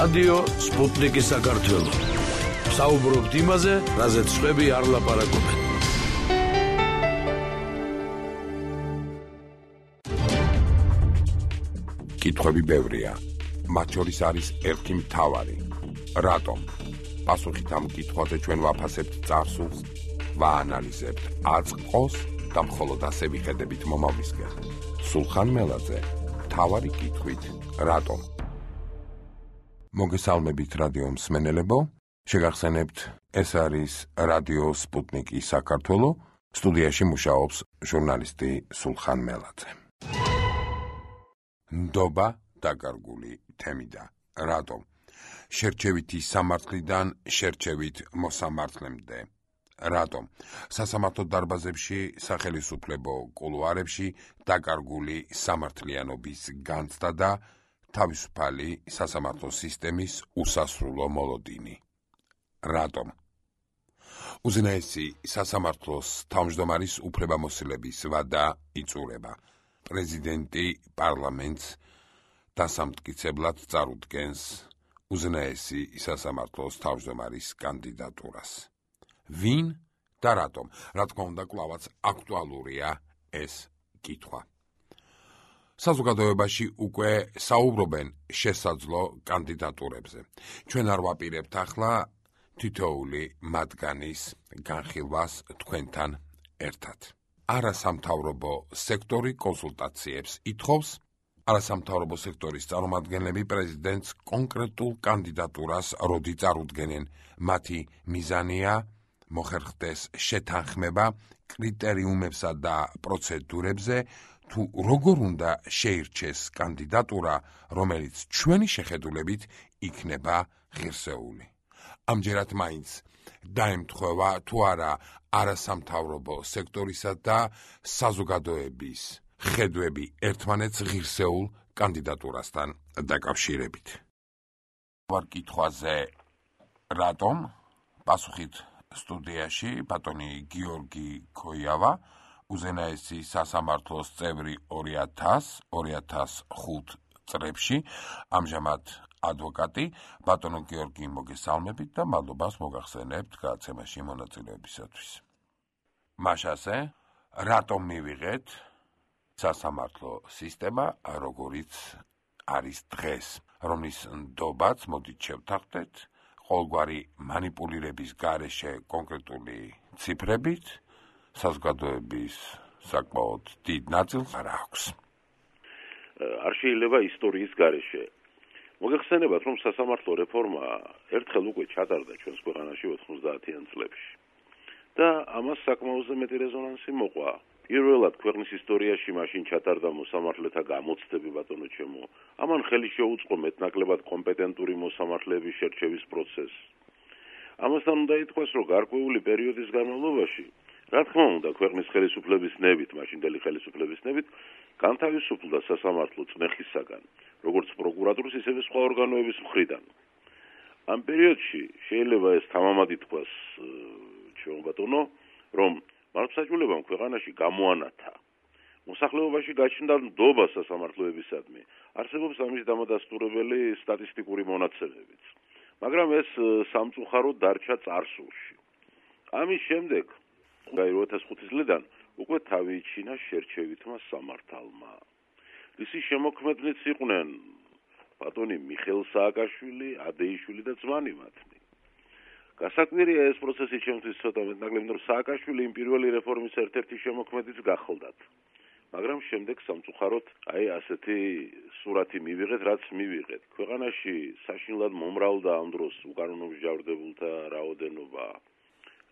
რადიო სპუტნიკი საქართველო. საუბრობთ იმაზე, რაზეც სხვები არ ლაპარაკობენ. კითხვები ბევრია. მათ შორის არის ერთი მთავარი. რატომ? პასუხით ამ კითხვაზე ჩვენ ვაფასებთ წარსულს, ვაანალიზებთ აწყყოს და მხოლოდ ასე ვიხედებით მომავლისკენ. სულხან მელაძე, მთავარი კითხვით, რატომ? მოგესალმებით რადიო მსმენელებო, შეგახსენებთ, ეს არის რადიო სპუტნიკი საქართველო, სტუდიაში მუშაობს ჟურნალისტი სულხან მელაძე. ნდობა დაკარგული თემიდა. რატომ? შერჩევითი სამართლიდან შერჩევით მოსამართლემდე. რატომ? სასამართლო დარბაზებში, სახელისუფლებო კულუარებში დაკარგული სამართლიანობის განცდა და თავისუფალი სასამართლო სისტემის უსასრულო მოლოდინი. რატომ? უზენაესი სასამართლოს თავმჯდომარის უფლებამოსილების ვადა იწურება. პრეზიდენტი პარლამენტს დასამტკიცებლად წარუდგენს უზენაესი სასამართლოს თავმჯდომარის კანდიდატურას. ვინ და რატომ? რა თქმა უნდა, კვლავაც აქტუალურია ეს კითხვა. საზოგადოებაში უკვე საუბრობენ შესაძლო კანდიდატურებზე. ჩვენ არ ვაპირებთ ახლა თითოეული მათგანის განხილვას თქვენთან ერთად. არასამთავრობო სექტორი კონსულტაციებს ითხოვს. არასამთავრობო სექტორის წარმომადგენლები პრეზიდენტს კონკრეტულ კანდიდატურას როდი წარუდგენენ. მათი მიზანია მოხერხდეს შეთანხმება კრიტერიუმებსა და პროცედურებზე, თუ როგორ უნდა შეირჩეს კანდიდატურა, რომელიც ჩვენი შეხედულებით იქნება ღირსეული. ამჯერად მაინც დაემთხვევა თუ არა არასამთავრობო სექტორისა და საზოგადოების ხედვები ერთმანეთს ღირსეულ კანდიდატურასთან დაკავშირებით. ვარ კითხვაზე რატომ? პასუხით სტუდიაში ბატონი გიორგი ქოიავა, უზენაესი სასამართლოს წევრი 2000-2005 წლებში, ამჟამად ადვოკატი. ბატონო გიორგი, მოგესალმებით და მადლობას მოგახსენებთ გადაცემაში მონაწილეობისათვის. მაშასე, რატომ მივიღეთ სასამართლო სისტემა, როგორიც არის დღეს, რომლის ნდობაც, მოდით შევთანხმდეთ, ყოველგვარი მანიპულირების გარეშე კონკრეტული ციფრებით, საზოგადოების საკმაოდ დიდ ნაწილს არ აქვს. არ შეიძლება ისტორიის გარეშე. მოგეხსენებათ, რომ სასამართლო რეფორმა ერთხელ უკვე ჩატარდა ჩვენს ქვეყანაში 90-იან წლებში. და ამას საკმაოზე მეტი რეზონანსი მოყვა. პირველად ქვეყნის ისტორიაში მაშინ ჩატარდა მოსამართლეთა გამოცდები, ბატონო ჩემო. ამან ხელი შეუწყო მეტნაკლებად კომპეტენტური მოსამართლეების შერჩევის პროცესს. ამასთან უნდა ითქვას, რომ გარკვეული პერიოდის განმავლობაში, რა თქმა უნდა, ქვეყნის ხელისუფლების ნებით, მაშინდელი ხელისუფლების ნებით, განთავისუფლდა სასამართლო წნეხისაგან, როგორც პროკურატურის, ისევე სხვა ორგანოების მხრიდან. ამ პერიოდში შეიძლება ეს თამამად ითქვას, ჩემო ბატონო, რომ მართლმსაჯულებამ ქვეყანაში გამოანათა. მოსახლეობაში გაჩნდა ნდობა სასამართლოებისადმი. არსებობს ამის დამადასტურებელი სტატისტიკური მონაცემებიც. მაგრამ ეს სამწუხაროდ დარჩა წარსულში. ამის შემდეგ, 2005 წლიდან უკვე თავი იჩინა შერჩევითმა სამართალმა. ისი შემოქმედნიც იყვნენ ბატონი მიხეილ სააკაშვილი, ადეიშვილი და ძმანი მათნი. გასაკვირია ეს პროცესი ჩემთვის ცოტა მეტნაკლები, რომ სააკაშვილი იმ პირველი რეფორმის ერთ-ერთი შემოქმედიც გახელდათ. მაგრამ შემდეგ სამწუხაროდ ასეთი სურათი მივიღეთ, რაც მივიღეთ. ქვეყანაში საშინლად მომრავლდა ამ დროს უკანონო მსჯავრდებულთა რაოდენობა.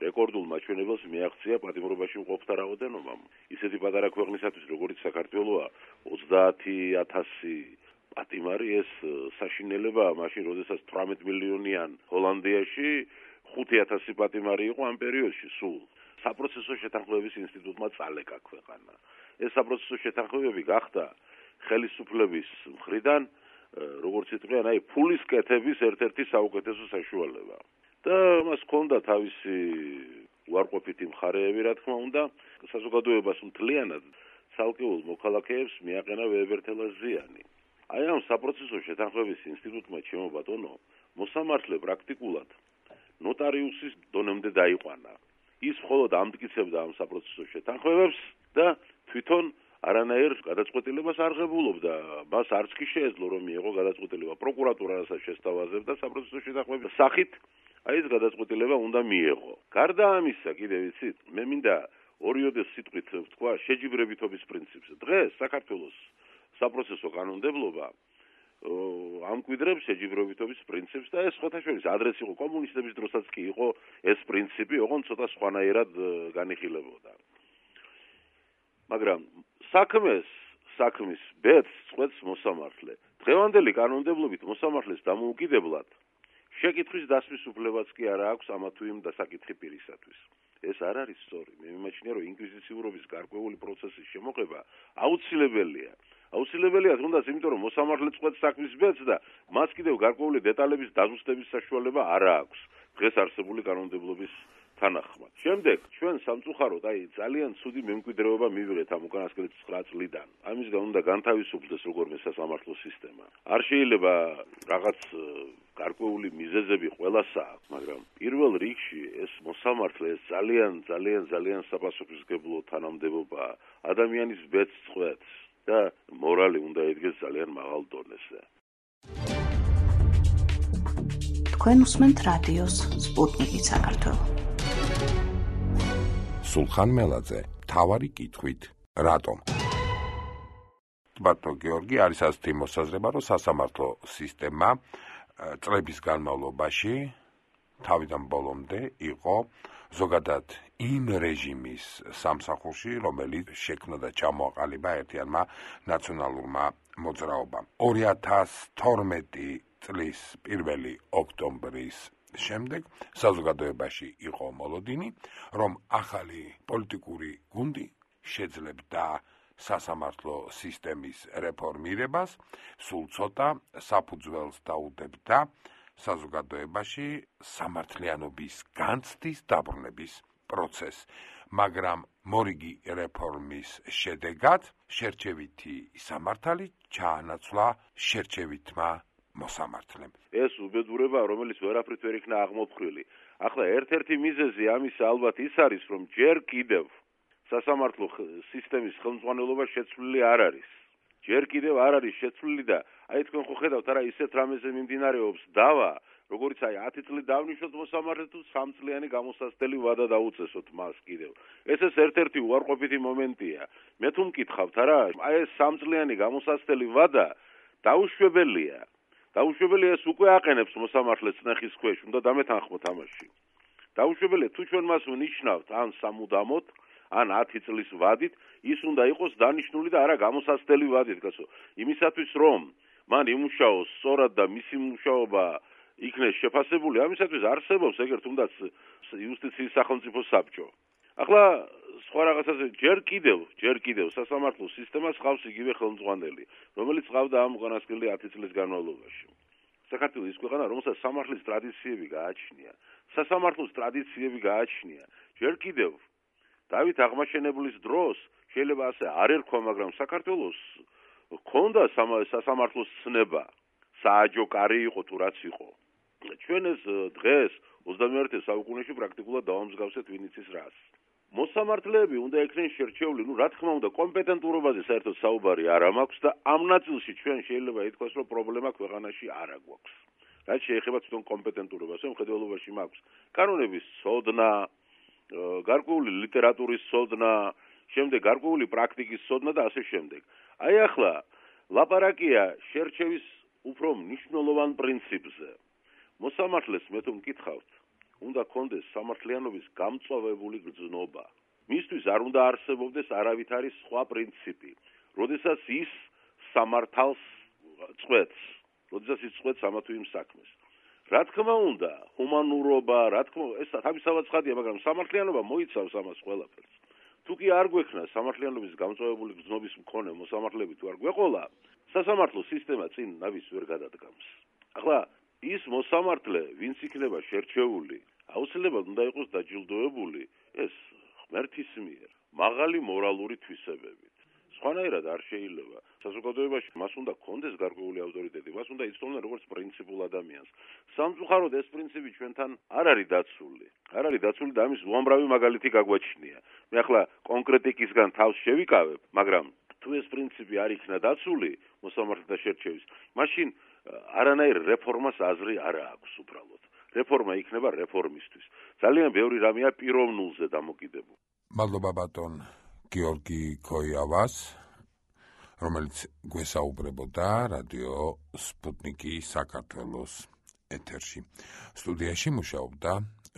რეკორდულ მაჩვენებელს მიაღწია პატიმრობაში მყოფთა რაოდენობამ. ისეთი პატარა ქვეყნისათვის, როგორიც საქართველოა, 30,000 პატიმარი, ეს საშინელება მაშინ, როდესაც 18 მილიონიან ჰოლანდიაში 5,000 პატიმარი იყო ამ პერიოდში სულ. საპროცესო შეთანხმების ინსტიტუტმა წალეკა ქვეყანა. ეს საპროცესო შეთანხმებები გახდა ხელისუფლების მხრიდან, როგორც იტყვიან, ფულის კეთების ერთ-ერთი საუკეთესო საშუალება. და მას ჰქონდა თავისი უარყოფითი მხარეები, რა თქმა უნდა, საზოგადოებას მთლიანად ცალკეულ მოქალაქეებს მიაყენა ვეებერთელა ზიანი. აი ამ საპროცესო შეთანხმების ინსტიტუტმა ჩემო ბატონო მოსამართლე პრაქტიკულად ნოტარიუსის დონემდე დაიყვანა. ის მხოლოდ ამტკიცებდა ამ საპროცესო შეთანხმებებს და თვითონ არანაირ გადაწყვეტილებას არ ღებულობდა. მას არც კი შეეძლო რომ მიიღო გადაწყვეტილება. პროკურატურა რასაც შესთავაზებდა საპროცესო შეთანხმების სახით, აი ეს გადაწყვეტილება უნდა მიიღო. გარდა ამისა, კიდევ იცით, მე მინდა ორიოდეს სიტყვით ვთქვა შეჯიბრებითობის პრინციპს. დღეს საქართველოს საპროცესო კანონმდებლობა ამკვიდრებს შეჯიბრებითობის პრინციპს და ეს ხოთაშორის ადრეს იყო კომუნისტების დროსაც კი იყო ეს პრინციპი, ოღონდ ცოტა სხვანაირად განიხილებოდა. მაგრამ საქმის ბედს წყვეტს მოსამართლე. დღევანდელი კანონმდებლობით მოსამართლეს დამოუკიდებლად შეკითხვის დასმის უფლებაც კი არ აქვს ამა თუ იმ დასაკითხი პირისათვის. ეს არ არის სწორი. მე მიმაჩნია, რომ ინკვიზიციურობის გარკვეული პროცესის შემოღება აუცილებელია. აუცილებელია თუნდაც იმიტომ, რომ მოსამართლე წყვეტს საქმის ბედს და მას კიდევ გარკვეული დეტალების დაზუსტების საშუალება არ აქვს დღეს არსებული კანონმდებლობის თანახმად. შემდეგ ჩვენ სამწუხაროდ ძალიან ცუდი მემკვიდრეობა მივიღეთ ამ უკანასკნელი 9 წლიდან. ამისგან უნდა განთავისუფლდეს როგორმე სასამართლო სისტემა. არ შეიძლება რაღაც გარკვეული მიზეზები ყველასა აქვს, მაგრამ პირველ რიგში ეს მოსამართლე ეს ძალიან საპასუხისმგებლო თანამდებობა ადამიანის ბედს წყვეტს და მორალი უნდა იდგეს ძალიან მაღალ დონეზე. თქვენ უსმენთ რადიოს სპუტნიკი საქართველო. სულხან მელაძე, თავარი კითხვით, რატომ? ბატონო გიორგი, არის ასეთი მოსაზრება, რომ სასამართლო სისტემა წლების განმავლობაში თავიდან ბოლომდე იყო ზოგადად იმ რეჟიმის სამსახურში, რომელიც შექმნა და ჩამოაყალიბა ერთიანმა ნაციონალურმა მოძრაობამ. 2012 წლის 1 ოქტომბრის შემდეგ საზოგადოებაში იყო მოლოდინი, რომ ახალი პოლიტიკური გუნდი შეძლებდა სასამართლო სისტემის რეფორმირებას, სულ ცოტა საფუძველს დაუდებდა საზოგადოებაში სამართლიანობის განცდის დაბრუნების პროცესს, მაგრამ მორიგი რეფორმის შედეგად შერჩევითი სამართალი ჩაანაცვლა შერჩევითმა მოსამართლემ. ეს უბედურება, რომელიც ვერაფრით ვერ იქნა აღმოფხვრილი. ახლა ერთ-ერთი მიზეზი ამისა ალბათ ის არის, რომ ჯერ კიდევ სასამართლო სისტემის ხელმძღვანელობა შეცვლილი არ არის. ჯერ კიდევ არ არის შეცვლილი და აი თქვენ ხო ხედავთ არა ისეთ რამეზე მიმდინარეობს დავა, როგორც 10 წელი დავნიშნოთ მოსამართლე თუ 3 წლიანი გამოსასწრელი ვადა დაუწესოთ მას კიდევ. ეს ერთ-ერთი უარყოფითი მომენტია. მე თუ მკითხავთ არა, აი ეს 3 წლიანი გამოსასწრელი ვადა დაუშვებელია. დაუშვებელია ეს უკვე აყენებს მოსამართლეს წნეხის ქვეშ, უნდა დამეთანხმოთ ამაში. დაუშვებელია თუ ჩვენ მას ვნიშნავთ ან სამუდამოდ, ან 10 წლის ვადით, ის უნდა იყოს დანიშნული და არა გამოსასწრელი ვადით, გასო. იმისათვის რომ მან იმუშაოს სწორად და მისი მუშაობა იქნეს შეფასებული, ამისათვის არსებობს ეგერ თუნდაც იუსტიციის სახელმწიფო საბჭო. ახლა სხვა რაღაცაზე ჯერ კიდევ სასამართლო სისტემას ხავს იგივე ხელმძღვანელი, რომელიც ყავდა ამ უკანასკნელი 10 წლის განმავლობაში. საქართველოს ის ქვეყანა, რომელსაც სამართლის ტრადიციები გააჩნია, სასამართლოს ტრადიციები გააჩნია. ჯერ კიდევ დავით აღმაშენებლის დროს შეიძლება ასე არ ერქვა, მაგრამ საქართველოს ჰქონდა სასამართლოს ცნება, სააჯო კარი იყო თუ რაც იყო. ჩვენ ეს დღეს 21 საუკუნეში პრაქტიკულად დავამსგავსეთ ვინიცის რას. მოსამართლეები უნდა იქნენ შერჩეული, რა თქმა უნდა, კომპეტენტურობაზე საერთოდ საუბარი არ მაქვს და ამ ნაწილში ჩვენ შეიძლება ითქვას, რომ პრობლემა ქვეყანაში არ აქვს. რაც შეეხება თვითონ კომპეტენტურობას, მხედველობაში მაქვს კანონების ცოდნა, გარკვეული ლიტერატურის ცოდნა, შემდეგ გარკვეული პრაქტიკის ცოდნა და ასე შემდეგ. აი ახლა ლაპარაკია შერჩევის უფრო მნიშვნელოვან პრინციპზე. მოსამართლეს მე თუ მკითხავთ, უნდა კონდეს სამართლიანობის გამწვავებული გრძნობა. მისთვის არ უნდა არსებობდეს არავითარი სხვა პრინციპი, როდესაც ის სამართალს წყვეტს, როდესაც ის წყვეტს ამა თუ იმ საქმეს. რა თქმა უნდა, ჰუმანურობა, ეს თავისთავად ცხადია, მაგრამ სამართლიანობა მოიცავს ამას ყველაფერს. თუ კი არ გვექნა სამართლიანობის გამწვავებული გრძნობის მქონე მოსამართლეები თუ არ გვეყოლა, სასამართლო სისტემა წინ ნავის ვერ გადადგამს. ახლა ის მოსამართლე, ვინც იქნება შერჩეული, აუცილებლად უნდა იყოს დაჯილდოებული ეს ღმერთის მიერ, მაღალი მორალური თვისებებით. სხვანაირად არ შეიძლება. საზოგადოებაში მას უნდა კონდეს გარკვეული ავტორიტეტი, მას უნდა იცნობდნენ როგორც პრინციპულ ადამიანს. სამწუხაროდ ეს პრინციპი ჩვენთან არ არის დაცული. არ არის დაცული და ამის უამრავი მაგალითი გაგვაჩნია. მე ახლა კონკრეტიკისგან თავს შევიკავებ, მაგრამ თუ ეს პრინციპი არ იქნა დაცული მოსამართლეთა შერჩევის, მაშინ არანაირ რეფორმას აზრი არ აქვს უბრალოდ. რეფორმა იქნება რეფორმისთვის. ძალიან ბევრი რამეა პიროვნ ნულზე დამოკიდებული. მადლობა ბატონ გიორგი ქოიავას, რომელიც გვესაუბრებოდა რადიო სპუტნიკი საქართველოს ეთერში. სტუდიაში მუშაობდა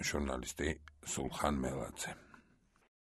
ჟურნალისტი სულხან მელაძე.